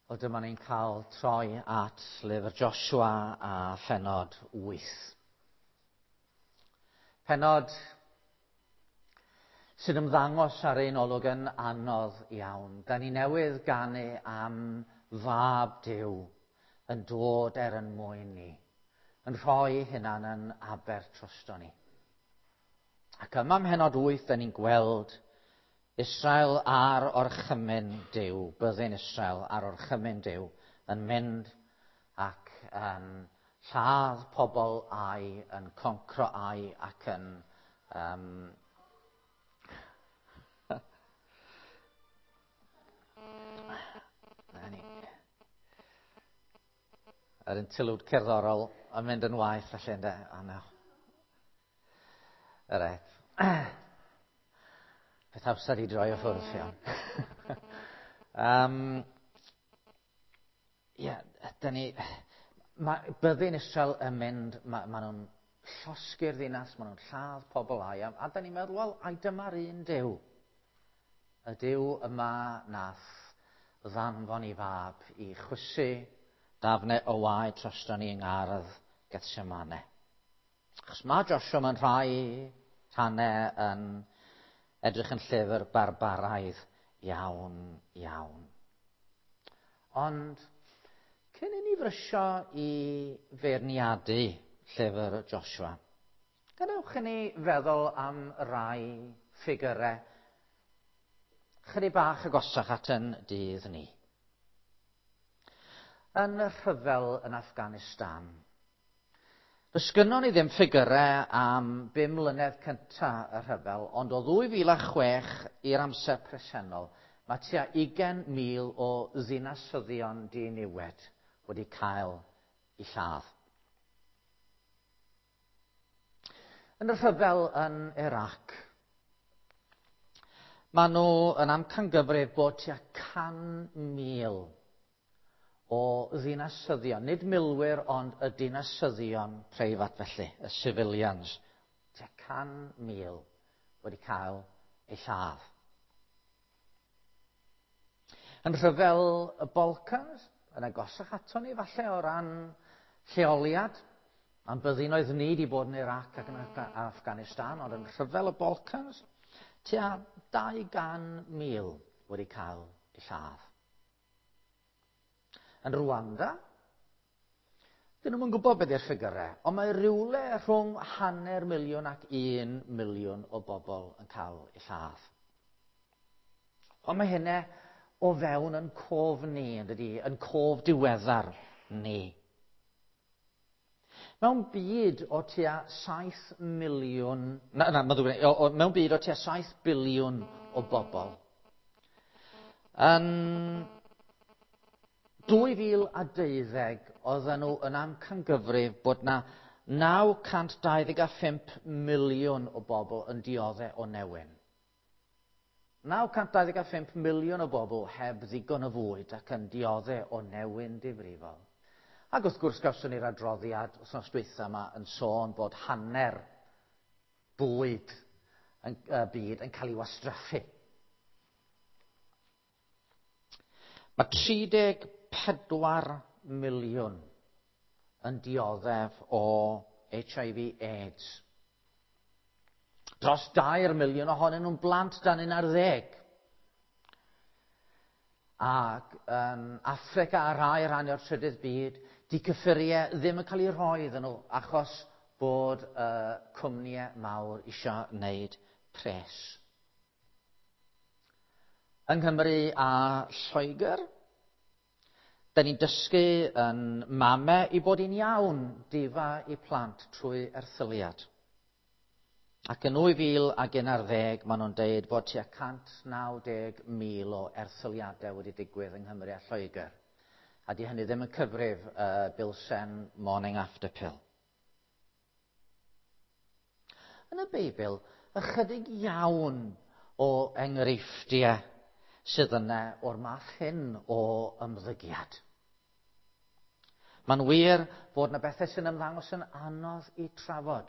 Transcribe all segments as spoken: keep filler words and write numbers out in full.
Wel, dyma ni'n cael troi at lyfr Joshua a phenod wyth. Penod sy'n ymddangos ar ein olwg yn anodd iawn. Da ni newydd ganu am fab Duw yn dod er yn mwyn ni, yn rhoi hunan yn aber trosto ni. Ac yma ym mhenod wyth, da ni'n gweld Israel ar orchymyn Duw, byddin Israel ar orchymyn Duw, yn mynd ac yn lladd pobl Ai, yn concro Ai ac yn um, Na ni. Yr interlude cerddorol yn mynd yn waeth felly, ynde? O, no. Reit. Peth amser i droi o ffwrdd, Ffion. um, ie, da ni... Mae byddin Israel yn mynd, ma, ma nhw'n llosgi'r ddinas, ma nhw'n lladd pobl Ai, a, a da ni'n meddwl, wel, ai dyma'r un Duw. Y Duw yma nath ddanfon i fab i chwysu dafnau o waed drosto ni yng ngardd Gethsemane. Achos mae Joshua mewn rhai rhannau yn edrych yn llyfr barbaraidd iawn, iawn. Ond cyn i ni frysio i feirniadu llyfr Joshua, gadewch i ni feddwl am rai ffigurau chydig bach agosach at yn dydd ni. Yn y rhyfel yn Afghanistan, does gynnon ni ddim ffigurau am bum mlynedd cynta y rhyfel, ond o ddwy fil a chwech i'r amser presennol, mae tua ugain mil o ddinasyddion diniwed wedi cael eu lladd. Yn y rhyfel yn Iraq, maen nhw yn amcangyfrif bod tua can mil o ddinasyddion, nid milwyr, ond y dinasyddion preifat felly, y civilians, tua can mil wedi cael eu lladd. Yn rhyfel y Balkans, yn agosach ato ni falle o ran lleoliad, a'n byddinoedd ni wedi bod yn Iraq ac yn Afghanistan, ond yn rhyfel y Balkans, tua dau gan mil wedi cael eu lladd. Yn Rwanda, dyn nhw'm yn gwybod beth yw'r ffigurau, ond mae rhywle rhwng hanner miliwn ac un miliwn o bobl yn cael eu lladd. Ond mae hynny o fewn yn cof ni, yn dydi, yn cof diweddar ni. Mewn byd o tua saith miliwn, na, na, ma ddrwg gen i, o, o, mewn byd o tua saith biliwn o bobl, yn dwy fil a deuddeg oedden nhw yn amcangyfrif bod na naw cant dau ddeg a phump miliwn o bobl yn dioddef o newyn. naw cant dau ddeg a phump miliwn o bobl heb ddigon o fwyd ac yn dioddef o newyn difrifol. Ac wrth gwrs gawson ni'r adroddiad wythnos dwytha yma yn sôn bod hanner bwyd yn y byd yn cael ei wastraffu. Mae tri deg pedwar miliwn yn dioddef o H I V AIDS. Dros dair miliwn ohonyn nhw'n blant dan un ar ddeg. Ac yn Affrica a rhai rhan o'r trydydd byd, di cyffuriau ddim yn cael eu rhoi iddyn nhw achos bod y cwmnïau mawr isio wneud pres. Yng Nghymru a Lloegr, da ni'n dysgu yn mame i bod yn iawn difa i plant trwy erthyliad. Ac yn nwy fil ag un ar ddeg, maen nhw'n deud bod tua cant naw deg mil o erthyliadau wedi digwydd yng Nghymru a Lloegr. A di hynny ddim yn cyfrif y bilsen morning after pill. Yn y Beibl, ychydig iawn o enghreifftiau sydd yna o'r math hyn o ymddygiad. Mae'n wir fod yna bethau sy'n ymddangos yn anodd i trafod.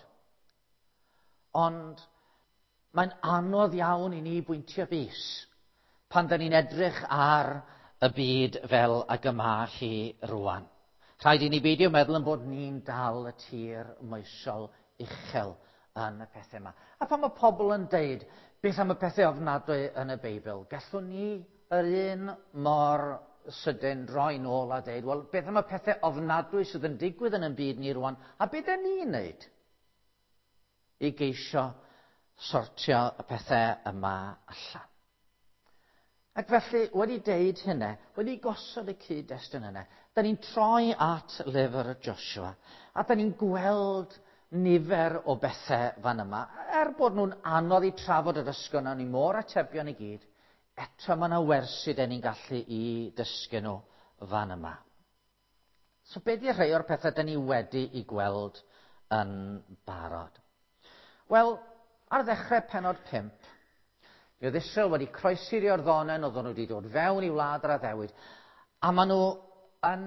Ond mae'n anodd iawn i ni bwyntio bys pan da ni'n edrych ar y byd fel ag y ma hi rwan. Rhaid i ni beidio meddwl yn bod ni'n dal y tir moesol uchel yn y pethau yma. A pan mae pobl yn deud, beth am y pethau ofnadwy yn y Beibl, gallwn ni yr un mor sydyn droi nôl a deud, wel, beth am y pethau ofnadwy sydd yn digwydd yn y byd ni rwan, a beth ydyn ni'n neud i geisio sortio y pethau yma allan? Ac felly, wedi deud hynny, wedi gosod y cyd-destun yna, da ni'n troi at lyfr Joshua, a da ni'n gweld nifer o bethau fan yma. Er bod nhw'n anodd i trafod yr ysgol, na ni mor atebion i gyd, eto mae yna wersi da ni'n gallu i dysgu nhw fan yma. So be di rhai o'r pethau da ni wedi i gweld yn barod? Wel, ar ddechrau penod pump, mi oedd Israel wedi croesi'r Iorddonen, oedden nhw wedi dod fewn i wlad yr addewid, a maen nhw yn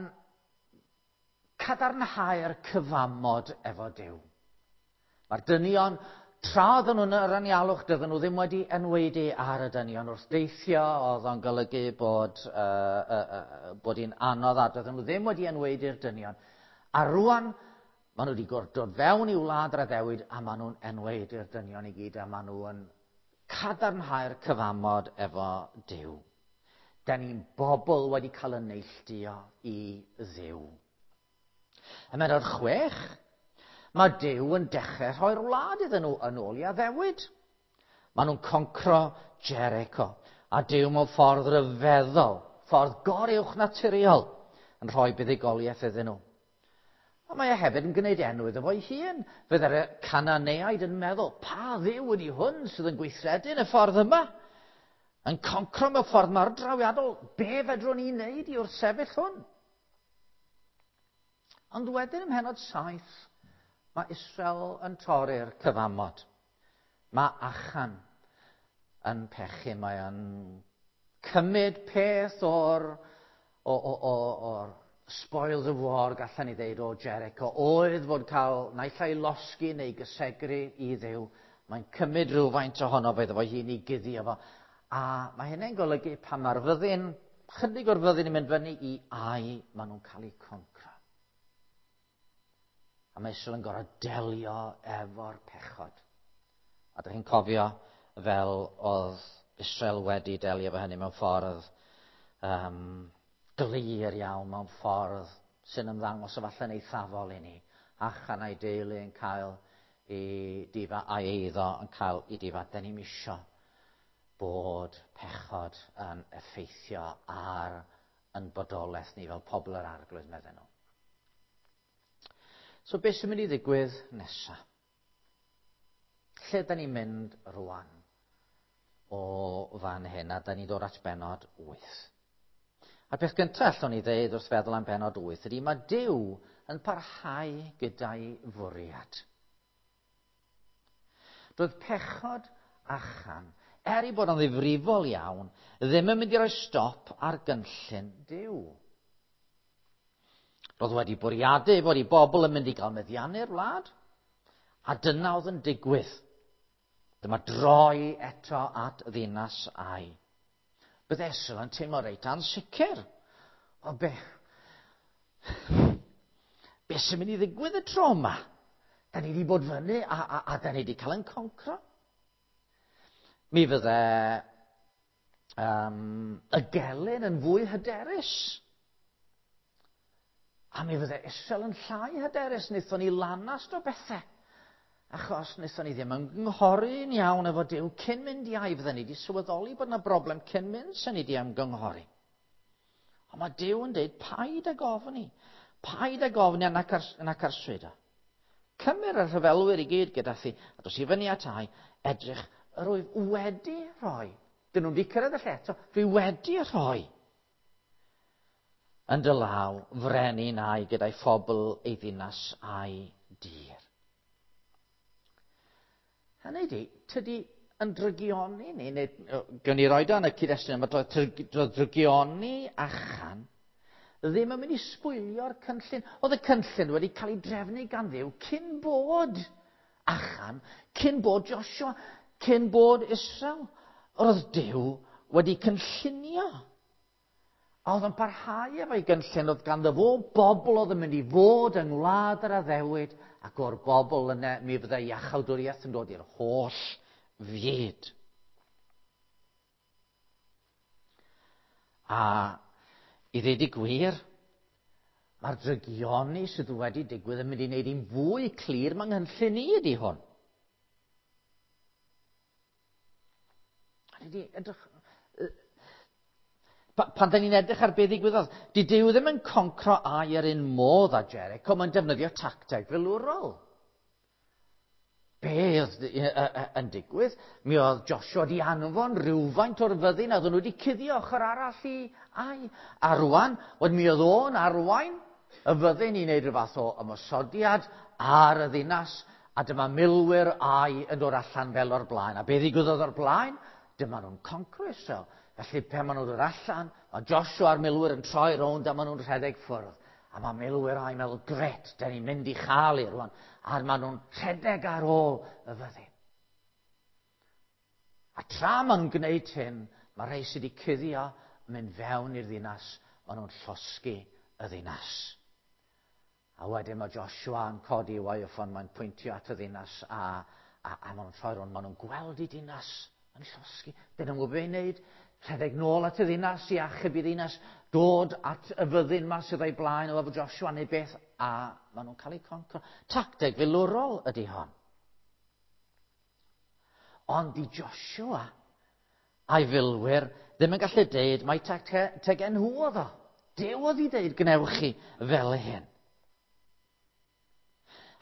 cadarnhau'r cyfamod efo Duw. Mae'r dynion, tra oedden nhw'n yr anialwch, dydyn nhw ddim wedi enwedu ar y dynion. Wrth deithio, oedd o'n golygu bod, uh, uh, uh, bod hi'n anodd, a dydyn nhw ddim wedi enwedu'r dynion. A rwan, maen nhw wedi dod fewn i wlad yr addewid, a maen nhw'n enwedu'r dynion i gyd, a maen nhw yn cadarnhau'r cyfamod efo Duw. Da ni'n bobl wedi cael y neilltuo i Dduw. Ym mhennod chwech, mae Duw yn dechrau rhoi'r wlad iddyn nhw yn ôl i addewid. Maen nhw'n concro Jericho, a Duw mewn ffordd ryfeddol, ffordd goruwch naturiol, yn rhoi buddugoliaeth iddyn nhw. A mae e hefyd yn gwneud enw iddo fo'i hun. Fydde'r Cananeaid yn meddwl, pa dduw ydi hwn sydd yn gweithredu yn y ffordd yma? Yn concro mewn ffordd mor drawiadol, be fedrwn ni wneud i wrthsefyll hwn? Ond wedyn ym mhennod saith, mae Israel yn torri'r cyfamod. Mae Achan yn pechu, mae yn cymryd peth o'r, o, o, o, o'r spoils of war, gallan ni ddeud, o Jericho, oedd fod cael naill ai losgi neu gysegru i Dduw. Mae'n cymryd rhywfaint ohono fe iddo fo hun i guddio fo. A mae hynny'n golygu pan mae'r fyddin, chydig o'r fyddin yn mynd fyny i Ai, maen nhw'n cael eu concro. A mae Israel yn gorfod delio efo'r pechod. A dych chi'n cofio fel oedd Israel wedi delio efo hynny mewn ffordd um, glir iawn, mewn ffordd sy'n ymddangos efallai'n eithafol i ni. Achan a'i deulu yn cael ei difa a'i eiddo yn cael ei difa. Da ni'm isio bod pechod yn effeithio ar yn bodolaeth ni fel pobl yr Arglwydd, medden nhw. So beth sy'n mynd i ddigwydd nesaf? Lle da ni'n mynd rwan o fan hyn, a da ni'n dod at bennod wyth. A'r peth gyntaf allwn ni ddeud wrth feddwl am bennod wyth ydy mae Duw yn parhau gyda'i fwriad. Doedd pechod Achan, er ei bod yn ddifrifol iawn, ddim yn mynd i roi stop ar gynllun Duw. Roedd wedi bwriadu bod ei bobl yn mynd i gael meddiannu'r wlad, a dyna oedd yn digwydd. Dyma droi eto at ddinas Ai. Bydde Israel yn teimlo reit ansicr. O be, be sy'n mynd i ddigwydd y tro yma? Da ni wedi bod fyny a, a, a da ni wedi cael yn concro. Mi fydde um, y gelyn yn fwy hyderus. A mi fydde Israel yn llai hyderus. Wnaethon ni lanast o bethau. Achos wnaethon ni ddim ymgynghori'n iawn efo Duw cyn mynd i Ai. Fydden ni wedi sylweddoli bod yna broblem cyn mynd sy'n ni wedi ymgynghori. Ond mae Duw yn dweud, paid ag ofni. Paid ag ofni nac arswydo. Cymur y rhyfelwyr i gyd gyda thi, a dos i fyny at Ai, edrych, yr wyf wedi rhoi. Dyn nhw'n wedi cyrraedd y lle eto, dwi wedi rhoi yn dy law frenin Ai gyda'i phobl ei ddinas a'i dir. Hynny ydi, tydi yn drygioni ni, neu gawn ni roed o yn y cyd-destun yma, doedd drygioni Achan ddim yn mynd i sbwylio'r cynllun. Oedd y cynllun wedi cael ei drefnu gan Dduw cyn bod Achan, cyn bod Joshua, cyn bod Israel. Roedd Duw wedi cynllunio. A oedd yn parhau efo'i gynllun, oedd ganddo fo bobl oedd yn mynd i fod yng ngwlad yr addewid, ac o'r bobl yna mi fyddai iachawdwriaeth yn dod i'r holl fyd. A i ddweud y gwir, mae'r drygioni sydd wedi digwydd yn mynd i wneud hi'n fwy clir mae nghynllun i ydy hwn. A ni edrych... Pan da ni'n edrych ar beth ddigwyddodd, di Duw ddim yn concro Ai yr un modd â Jericho, mae'n defnyddio tacteg filwrol. Be oedd yn digwydd? Mi oedd Joshua di anfon rhywfaint o'r fyddin a oedden nhw wedi cuddio ochr arall i Ai. A rwan, wedyn mi oedd o'n arwain y fyddin i wneud rhyw fath o ymosodiad ar y ddinas, a dyma milwyr Ai yn dod allan fel o'r blaen. A be ddigwyddodd o'r blaen? Dyma nhw'n concro Israel. Felly pan maen nhw'n dod allan, mae Joshua a'r milwyr yn troi rownd a maen nhw'n rhedeg ffwrdd. A mae milwyr Ai'n meddwl, gret, da ni'n mynd i chael i rwan. A maen nhw'n rhedeg ar ôl y fyddin. A tra maen nhw'n gwneud hyn, mae rhai sydd wedi cuddio yn mynd fewn i'r ddinas, maen nhw'n llosgi y ddinas. A wedyn mae Joshua yn codi i waywffon, mae'n pwyntio at y ddinas a, a, a maen nhw'n troi rownd, maen nhw'n gweld i dinas yn llosgi. Dyn nhw'n gwybod beth i wneud. Rhedeg nôl at y ddinas i achub i ddinas, dod at y fyddin ma sydd o'i blaen o efo Joshua neu beth, a maen nhw'n cael eu concro. Tacteg filwrol ydy hon. Ond i Joshua a'i filwyr ddim yn gallu deud mai tactegau nhw oedd o. Duw oedd i deud gwnewch chi fel hyn.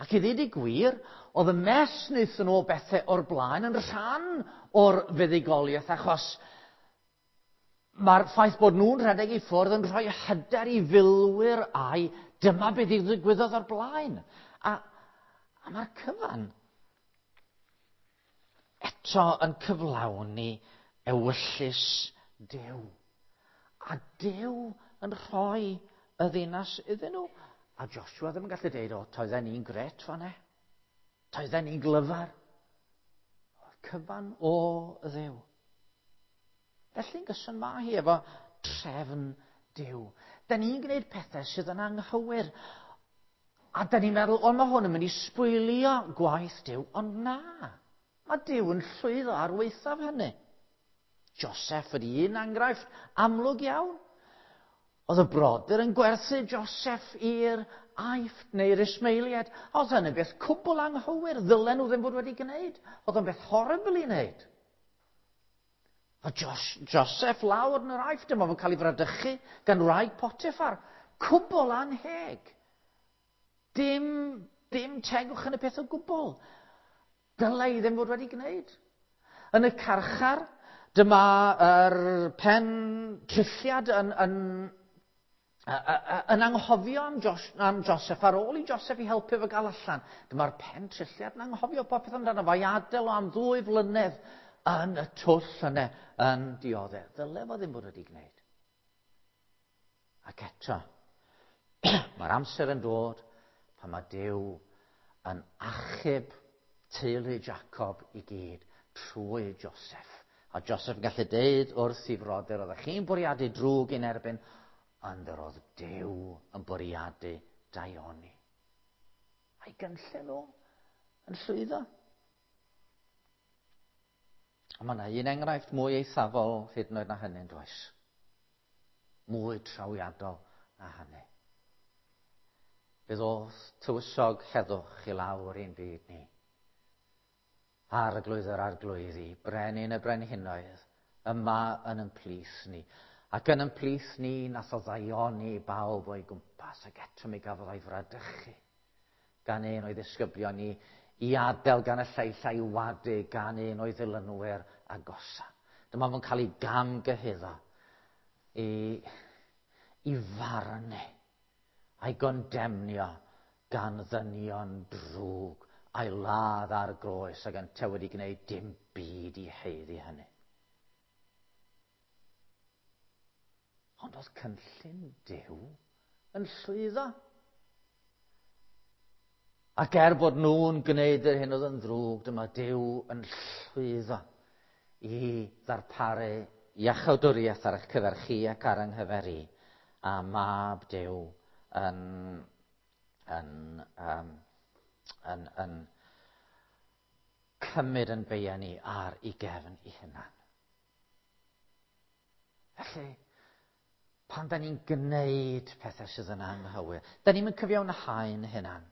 Ac i ddweud y gwir, oedd y mess wnaethon nhw o bethau o'r blaen yn rhan o'r fuddugoliaeth, achos mae'r ffaith bod nhw'n rhedeg i ffwrdd yn rhoi hyder i filwyr Ai, dyma beth ddigwyddodd o'r blaen. A, a mae'r cyfan eto yn cyflawni ewyllys Duw. A Duw yn rhoi y ddinas iddyn nhw. A Joshua ddim yn gallu deud, o, toedden ni'n gret fan'na. Toedden ni'n glyfar. Oedd cyfan o Dduw. Felly'n gyson mae hi efo trefn Duw. Da ni'n gwneud pethau sydd yn anghywir. A da ni'n meddwl, o, mae hwn yn mynd i sbwylio gwaith Duw. Ond na, mae Duw yn llwyddo ar waethaf hynny. Joseph ydy un enghraifft amlwg iawn. Oedd y brodyr yn gwerthu Joseph i'r Aifft neu'r Ismaeliaid. Oedd hynny'n beth cwbl anghywir. Ddylen nhw ddim fod wedi gwneud. Oedd o'n beth horrible i wneud. A Jos, Joseph lawr yn yr Aifft, dyma fo'n cael ei fradychu gan wraig Potiphar. Cwbl anheg. Dim, dim tegwch yn y peth o gwbl. Dylai ddim fod wedi gwneud. Yn y carchar, dyma yr pen trulliad yn, yn, yn anghofio am, Jos, am Joseph, ar ôl i Joseph i helpu fo gael allan. Dyma'r pen trulliad yn anghofio popeth amdano fo, i adael o am ddwy flynedd yn y twll yna yn dioddef. Ddyle fo ddim bod wedi gwneud. Ac eto, mae'r amser yn dod pan mae Duw yn achub teulu Jacob i gyd trwy Joseph. A Joseph yn gallu deud wrth i frodyr, oeddech chi'n bwriadu drwg i'n erbyn, ond yr oedd Duw yn bwriadu daioni. A'i gynllun o yn llwyddo. A mae yna un enghraifft mwy eithafol hyd yn oed na hynny, does? Mwy trawiadol na hynny. Fe ddoth tywysog heddwch i lawr i'n byd ni. Arglwydd yr arglwyddi, brenin y brenhinoedd, yma yn ein plith ni. Ac yn ein plith ni, nath o ddaioni bawb o'i gwmpas, ac eto mi gafodd o'i fradychu gan un o'i ddisgyblion ni, i adael gan y lleill a'i wadu gan un o'i ddilynwyr agosa. Dyma fo'n cael ei gamgyhuddo i, i farnu a'i gondemnio gan ddynion drwg a'i ladd ar groes ac yntau wedi gwneud dim byd i haeddu hynny. Ond oedd cynllun Duw yn llwyddo. Ac er bod nhw'n gwneud yr hyn oedd yn ddrwg, dyma Duw yn llwyddo i ddarparu iachawdwriaeth ar eich cyfer chi ac ar yng nghyfer i, a mab Duw yn, yn, um, yn, yn cymryd yn beia ni ar ei gefn ei hunan. Felly, pan da ni'n gwneud pethau sydd yn anghywir, da ni'n cyfiawnhau'n hunan.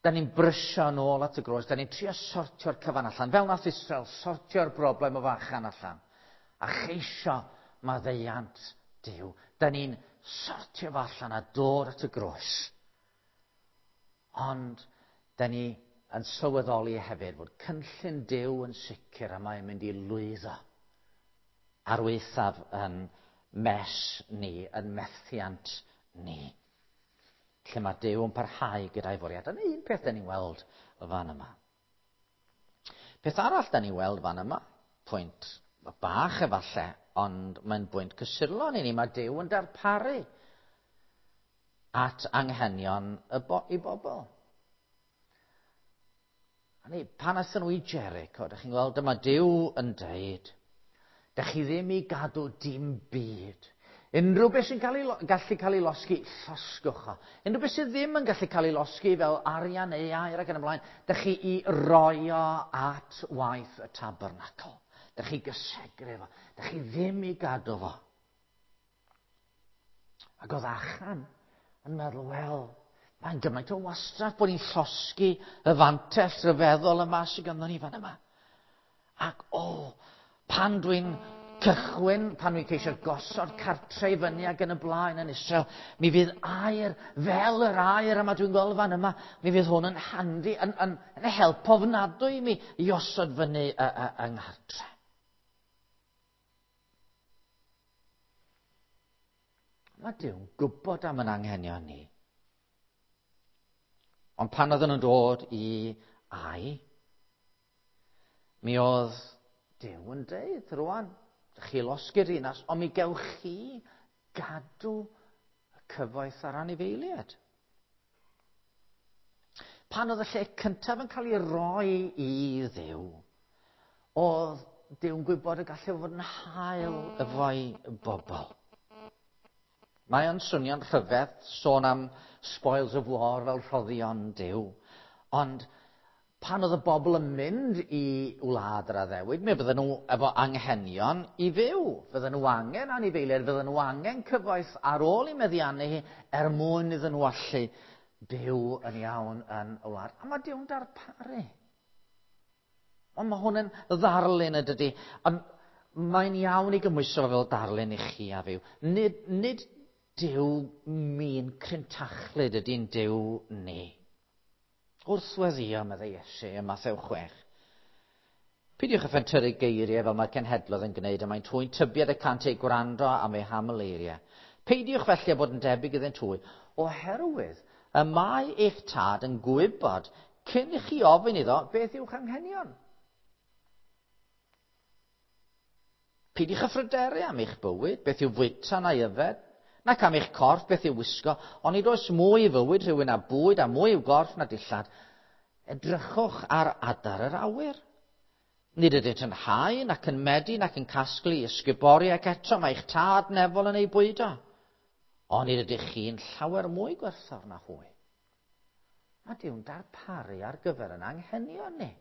Da ni'n brysio nôl at y groes, da ni'n trio sortio'r cyfan allan, fel nath Israel sortio'r broblem o fachan allan, a cheisio maddeuant Duw. Da ni'n sortio fo allan a dod at y groes. Ond da ni yn sylweddoli hefyd fod cynllun Duw yn sicr a mae'n mynd i lwyddo ar waethaf yn mes ni, yn methiant ni. Lle mae Duw yn parhau gyda'i fwriad. Dyna un peth da ni'n weld fan yma. Peth arall da ni'n weld fan yma, pwynt bach efallai, ond mae'n bwynt cysurlon i ni. Mae Duw yn darparu at anghenion y bo- i bobl. A ni, pan aethon nhw i Jericho, da chi'n gweld, dyma Duw yn deud, da chi ddim i gadw dim byd. Unrhyw beth sy'n cael ei, gallu cael ei losgi, llosgwch o. Unrhyw beth sydd ddim yn gallu cael ei losgi fel arian neu aur ac yn y blaen, da chi i roi o at waith y tabernacl. Da chi gysegru fo. Da chi ddim i gadw fo. Ac oedd Achan yn meddwl, wel, mae'n gymaint o wastraff bod ni'n llosgi y fantell rhyfeddol yma sydd ganddo ni fan yma. Ac o, pan dwi'n cychwyn, pan dwi'n ceisio gosod cartre i fyny ac yn y blaen yn Israel, mi fydd aur fel yr aur yma dwi'n gweld fan yma, mi fydd hwn yn handi, yn, yn, yn help ofnadwy i mi i osod fyny yng nghartre. Mae Duw'n gwybod am yn anghenion ni. Ond pan oedden nhw'n dod i Ai, mi oedd Duw yn deud rwan, chi losgi'r ddinas, ond mi gewch chi gadw y cyfoeth a'r anifeiliaid. Pan oedd y lle cyntaf yn cael ei roi i Dduw, oedd Duw'n gwybod y gallai fod yn hael efo'i bobl. Mae o'n swnio'n rhyfedd sôn am spoils of war fel rhoddion Duw, ond pan oedd y bobl yn mynd i wlad yr addewid, mi fydden nhw efo anghenion i fyw. Fydden nhw angen anifeiliaid, fydden nhw angen cyfoeth ar ôl i meddiannu hi er mwyn iddyn nhw allu byw yn iawn yn y wlad. A mae Duw'n darparu. Ond mae hwn yn ddarlun y dydy. Ond mae'n iawn i gymhwyso fel darlun i chi a fyw. Nid, nid Duw min crintachlyd ydy'n Duw ni. Wrth weddio, meddai Iesu ym Mathew chwech. Peidiwch â phentyrru geiriau fel mae'r cenhedloedd yn gwneud, a mae'n hwy'n tybied y cant eu gwrando am eu haml eiriau. Peidiwch felly â bod yn debyg iddynt hwy, oherwydd y mae eich tad yn gwybod cyn i chi ofyn iddo beth yw'ch anghenion. Peidiwch â phryderu am eich bywyd, beth yw fwyta neu yfed, nac am eich corff, beth yw wisgo, ond nid oes mwy i fywyd rhywun a bwyd a mwy i'w gorff na dillad. Edrychwch ar adar yr awyr. Nid ydynt yn hau, nac yn medi, nac yn casglu ysgubori, ac eto mae eich tad nefol yn ei bwydo. Ond nid ydych chi'n llawer mwy gwerthfawr na hwy. Mae Duw'n darparu ar gyfer yn anghenion ni.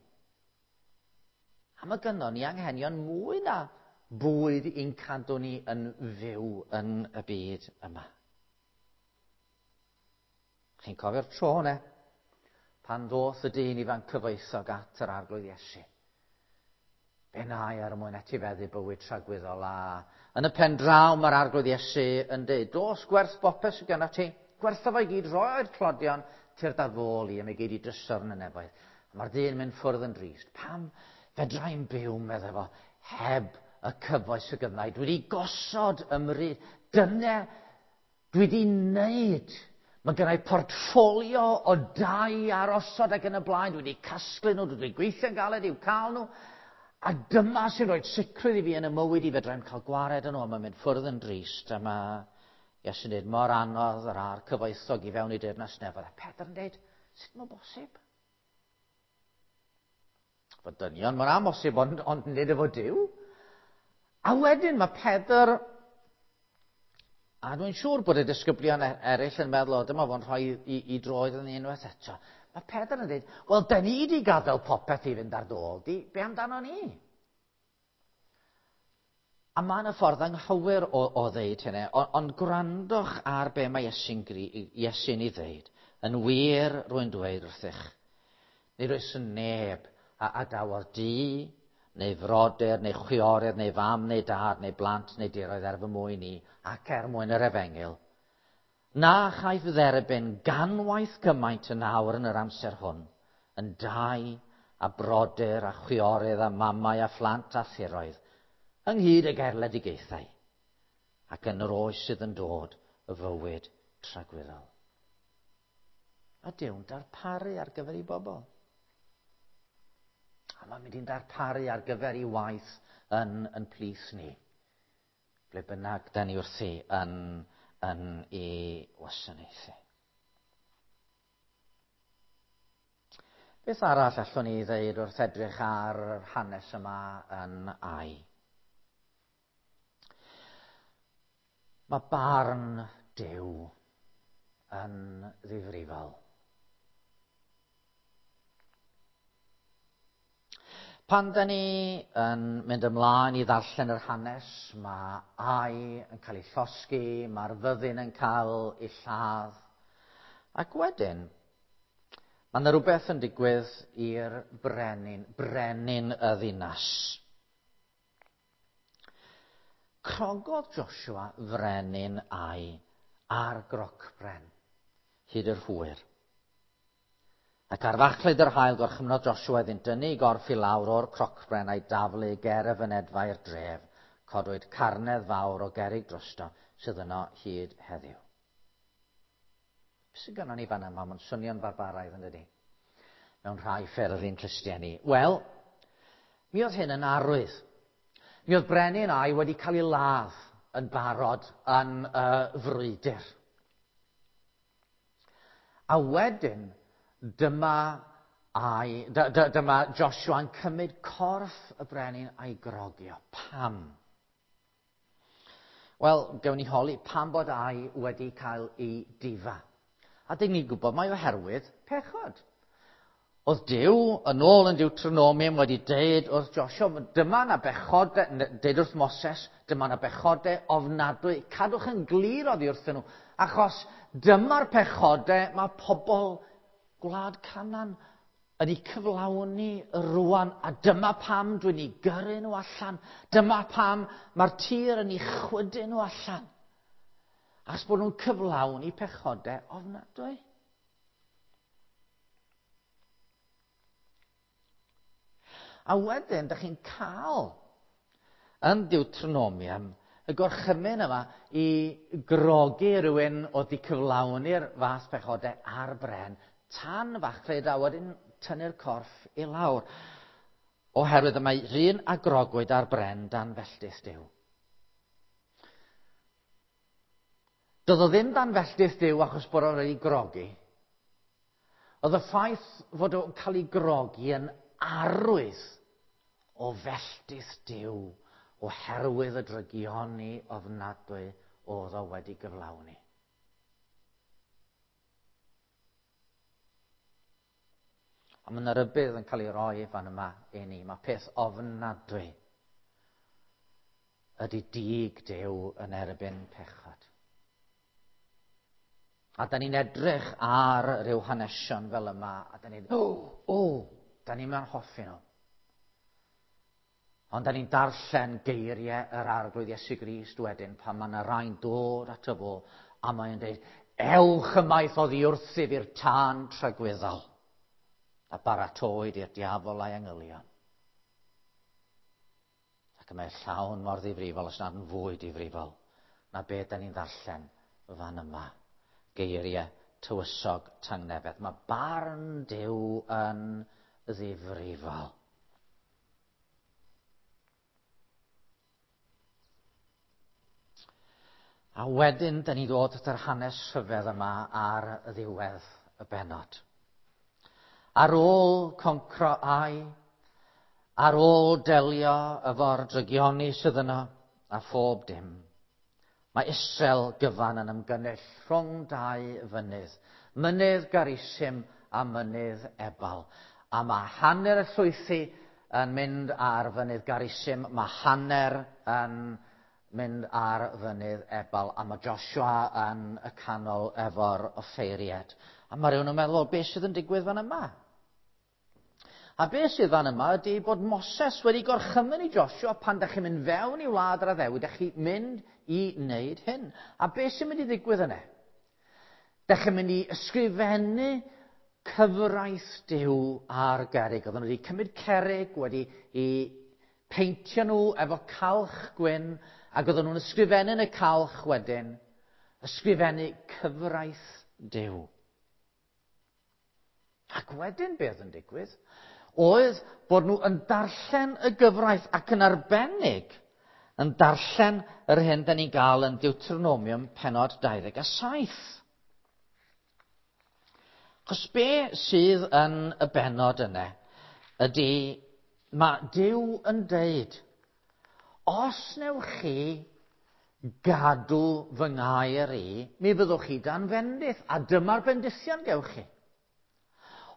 A mae gynnon ni anghenion mwy na bwyd i'n cadw ni yn fyw yn y byd yma. Chi'n cofio'r tro ne? Pan ddoth y dyn ifanc cyfoethog at yr Arglwydd Iesu. Be nai er mwyn etifeddu bywyd tragwyddol, a yn y pen draw mae'r Arglwydd Iesu yn dweud, dos gwerth bopeth sydd genna ti, gwertha fo i gyd, roi'r tlodion, tyrd ar fôl i, a mi gei di drysor yn y nefoedd. A mae'r dyn mynd ffwrdd yn drist. Pam fedrai'n byw, meddai fo, heb y cyfoeth sydd gynna i? Dwi wedi gosod ymryd. Dyna dwi wedi wneud. Mae gynna i portffolio o dai ar osod ac yn y blaen. Dwi wedi casglu nhw, dwi wedi gweithio'n galed i'w cael nhw. A dyma sy'n rhoi sicrwydd i fi yn y mywyd i fedrai'm cael gwared yn nhw. A mae'n mynd ffwrdd yn drist. A mae Iesu'n dweud, mor anodd yr a'r cyfoethog i fewn i deyrnas nefoedd. A Pedr yn dweud, sut mae'n bosib? Fod dynion, mae'n amhosib, ond, ond nid efo Duw. A wedyn mae Pedr, a dwi'n siŵr bod y disgyblion eraill yn meddwl, o, dyma fo'n rhoi i, i droed yn unwaith eto. Mae Pedr yn dweud, wel, da ni wedi gadael popeth i fynd ar dôl di, be amdano ni? A mae yna ffordd anghywir o, o ddeud hynny, ond, ond gwrandwch ar be mae Iesu'n, Iesu'n ei ddeud. Yn wir, rwy'n dweud wrthych, nid oes neb a adawodd dŷ, neu frodyr, neu chwiorydd, neu fam, neu dad, neu blant, neu diroedd er fy mwyn i, ac er mwyn yr efengyl, na chaiff dderbyn ganwaith gymaint yn awr yn yr amser hwn, yn dai a brodyr a chwiorydd a mamau a phlant a thiroedd, ynghyd ag erledigaethau, ac yn yr oes sydd yn dod y fywyd tragwyddol. A Duw'n darparu ar gyfer ei bobl. A mae'n mynd i'n darparu ar gyfer ei waith yn, yn plith ni. Ble bynnag da ni wrthi yn, yn ei wasanaethu. Beth arall allwn ni ddeud wrth edrych ar yr hanes yma yn Ai? Mae barn Duw yn ddifrifol. Pan da ni yn mynd ymlaen i ddarllen yr hanes, mae Ai yn cael ei llosgi, mae'r fyddin yn cael ei lladd. Ac wedyn, mae yna rhywbeth yn digwydd i'r brenin, brenin y ddinas. Crogodd Joshua frenin Ai ar grocbren hyd yr hwyr. Ac ar fachlud yr haul gorchymnodd Joshua iddynt dynnu ei gorff i lawr o'r crocbren a'i daflu ger y fynedfa i'r dref. Codwyd carnedd fawr o gerrig drosto sydd yno hyd heddiw. Be sydd gynnon ni fan yma? Mae'n swnio'n farbaraidd, yn dydi? Mewn rhai ffyrdd i'n clustiau ni. Wel, mi oedd hyn yn arwydd. Mi oedd brenin Ai wedi cael ei ladd yn barod yn y frwydr. A wedyn, dyma, Ai, dy, dy, dyma Joshua yn cymryd corff y brenin a'i grogio. Pam? Wel, gewn ni holi pam bod Ai wedi cael ei difa. A dyn ni'n gwybod mai oherwydd pechod. Oedd Duw yn ôl yn Deuteronomium wedi deud wrth Joshua, dyma na bechode, deud wrth Moses, dyma na bechode ofnadwy. Cadwch yn glir oddi wrthyn nhw, achos dyma'r pechode mae pobl gwlad Canaan yn ei cyflawni rwan, a dyma pam dwi'n ei gyrru nhw allan. Dyma pam mae'r tir yn ei chwydu nhw allan. Achos bod nhw'n cyflawni pechode ofnadwy. A wedyn, dych chi'n cael yn Deuteronomium y gorchymyn yma i grogi rhywun oedd wedi cyflawni'r fath pechodau ar bren tan fachlud a wedyn tynnu'r corff i lawr. Oherwydd y mae rhywun a grogwyd ar bren dan felltith Duw. Doedd o ddim dan felltith Duw achos bod o'n wedi grogi. Oedd y ffaith fod o'n cael ei grogi yn arwydd o felltith Duw oherwydd y drygioni ofnadwy oedd o wedi gyflawni. A mae yna rybudd yn cael ei roi fan yma i ni. Mae peth ofnadwy ydy dig Duw yn erbyn pechod. A da ni'n edrych ar ryw hanesion fel yma, a da ni'n, o, o, da ni'n mewn hoffi nhw. Ond da ni'n darllen geiriau yr Arglwydd Iesu Grist wedyn pan mae yna rai'n dod ato fo, a mae'n dweud, ewch ymaith oddi wrthyf i'r tân tragwyddol, a baratoed i'r diafol a'i angylion. Ac y mae llawn mor ddifrifol, os nad yn fwy difrifol, na be da ni'n ddarllen fan yma. Geiriau tywysog tangnefedd. Mae barn Duw yn ddifrifol. A wedyn, da ni ddod at yr hanes rhyfedd yma ar ddiwedd y bennod. Ar ôl concro Ai, Ar ôl delio efo'r drygioni sydd yno a phob dim, mae Israel gyfan yn ymgynnull rhwng dau fynydd. Mynydd Garisim a mynydd Ebal. A mae hanner y llwythi yn mynd ar fynydd Garisim, mae hanner yn mynd ar fynydd Ebal, a mae Joshua yn y canol efo'r offeiriad. A mae rhywun yn meddwl, beth sydd yn digwydd fan yma? A beth sydd fan yma ydy bod Moses wedi gorchymyn i Joshua pan da chi'n mynd fewn i wlad yr addewid, da chi'n mynd i wneud hyn. A beth sy'n mynd i ddigwydd yna? Da chi'n mynd i ysgrifennu cyfraith Duw ar gerrig. Oedden nhw wedi cymryd cerrig, wedi i peintio nhw efo calch gwyn, ac oedden nhw'n ysgrifennu yn y calch wedyn, ysgrifennu cyfraith Duw. Ac wedyn beth yn digwydd oedd bod nhw yn darllen y gyfraith ac yn arbennig yn darllen yr hyn da ni'n gael yn Deuteronomium pennod dau ddeg a saith. Achos be sydd yn y bennod yna ydy mae Duw yn deud, os newch chi gadw fy ngair i, mi fyddwch chi dan fendith, a dyma'r bendithion gewch chi.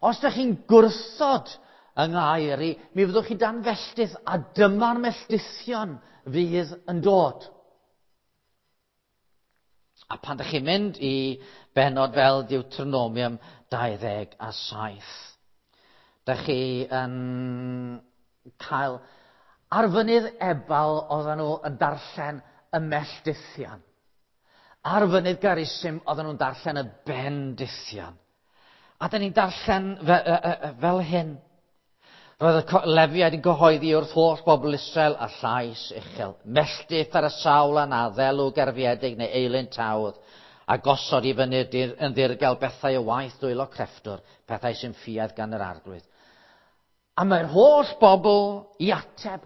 Os ydych chi'n gwrthod yng ngair i, mi fyddwch chi dan felltith, a dyma'r melltithion fydd yn dod. A pan ydych chi'n mynd i bennod fel Deuteronomium dau ddeg a saith, ydych chi yn cael ar fynydd Ebal oedden nhw yn darllen y melltithion. Ar fynydd Garisim oedden nhw'n darllen y bendithion. A da ni'n darllen fe, e, e, fel hyn. Roedd y Lefiaid yn cyhoeddi wrth holl bobl Israel a llais uchel. Melltith ar y sawl a na ddelw gerfiedig neu eilun tawdd, a gosod i fyny yn ddirgel bethau o waith dwylo crefftwr, pethau sy'n ffiaidd gan yr arglwydd. A mae'r holl bobl i ateb,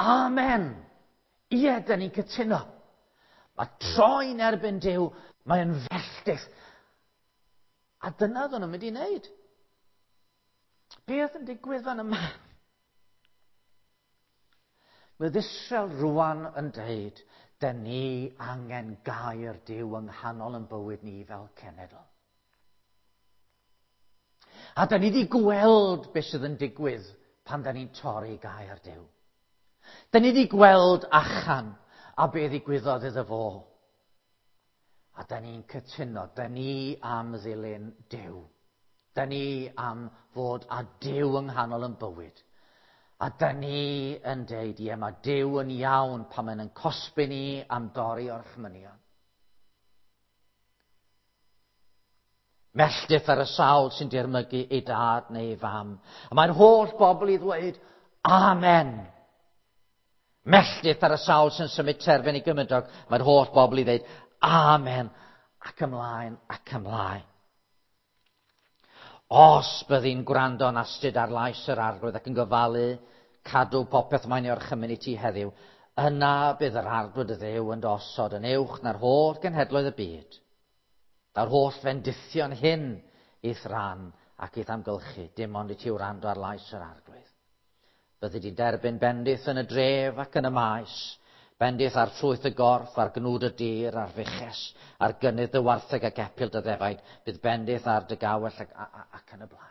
amen. Ie, da ni'n cytuno. Mae troi'n erbyn Duw, mae'n felltith. A dyna oedden nhw'n mynd i wneud. Beth yn digwydd fan yma? Mae Israel rwan yn deud, da ni angen gair Duw yng nghanol yn bywyd ni fel cenedl. A da ni wedi gweld beth sydd yn digwydd pan da ni'n torri gair Duw. Da ni wedi gweld Achan a be ddigwyddodd iddo fo. A da ni'n cytuno, da ni am ddilyn Duw. Da ni am fod â Duw yng nghanol yn bywyd. A da ni yn deud, ie, mae Duw yn iawn pan mae'n yn cosbi ni am dorri orchmynion. Melltith ar y sawl sy'n dirmygu ei dad neu ei fam. A mae'r holl bobl i ddweud, amen. Melltith ar y sawl sy'n symud terfyn i gymydog. Mae'r holl bobl i ddweud, amen. Ac ymlaen, ac ymlaen. Os byddi'n gwrando yn astud ar lais yr arglwydd ac yn gofalu cadw popeth mae'n ei orchymyn i ti heddiw, yna bydd yr arglwydd y Dduw yn osod yn uwch na'r holl genhedloedd y byd. Daw'r holl fendithion hyn i'th ran ac i'th amgylchu, dim ond i ti wrando ar lais yr arglwydd. Byddi di'n derbyn bendith yn y dref ac yn y maes, bendith ar ffrwyth y gorff, ar gnwd y dir, ar fuches, ar gynnydd dy wartheg ac epil dy ddefaid, bydd bendith ar dy gawell ac, ac yn y blaen.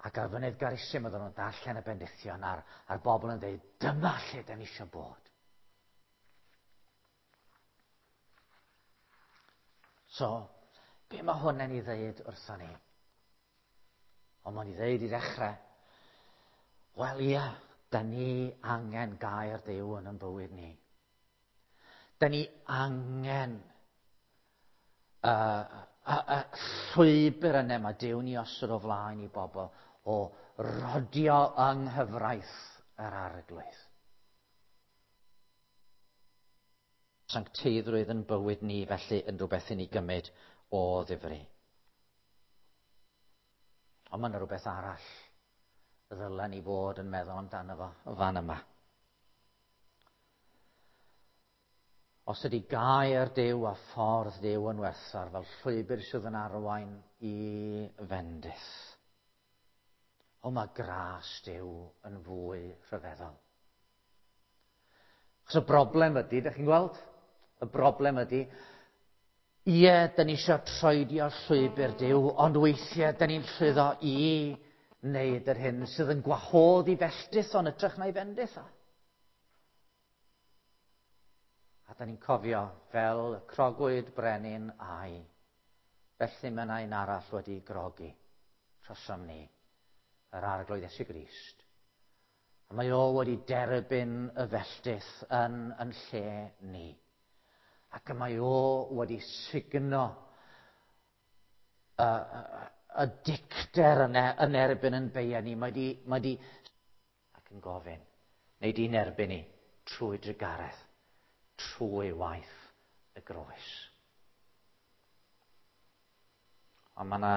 Ac ar fynydd Garisim oedden nhw'n darllen y bendithion a'r, a'r bobl yn dweud, dyma lle da ni eisiau bod. So, be mae hwn yn ei ddeud wrthon ni? Ond mae'n ei ddeud i ddechrau, wel ia, da ni angen gair Duw yn ein bywyd ni. Da ni angen y uh, uh, uh, llwybr yna mae Duw ni osod o flaen i bobl o rodio yng nghyfraith yr arglwydd. Sancteiddrwydd yn bywyd ni felly yn rhywbeth i ni gymryd o ddifri. Ond mae yna rhywbeth arall ddylen ni fod yn meddwl amdano fo fan yma. Os ydy gair Duw a ffordd Duw yn werthfawr fel llwybr sydd yn arwain i fendith. O, mae gras Duw yn fwy rhyfeddol. Achos y broblem ydy, ydych chi'n gweld? Y broblem ydy, ie, dyn ni eisiau troedio llwybr Duw, ond weithiau dyn ni'n llwyddo i wneud yr hyn sydd yn gwahodd i felltith o'n hytrach na'i fendith o. A dyn ni'n cofio fel y crogwyd brenin Ai, felly mae yna un arall wedi grogi trosom ni, yr Arglwydd Iesu Grist. A mae o wedi derbyn y felltith yn, yn lle ni. Ac y mae o wedi sugno y, y, y dicter yn, yn erbyn yn beia ni. Mae di, mae di ac yn gofyn, neu di'n erbyn ni trwy drugaredd, trwy waith y groes. Ond mae yna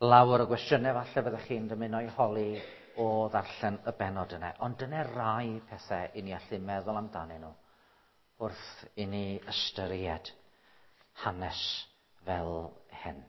lawer o gwestiynau falle fyddech chi'n dymuno i holi o ddarllen y bennod yna. Ond dyna rai pethau i ni allu meddwl amdanyn nhw wrth i ni ystyried hanes fel hyn.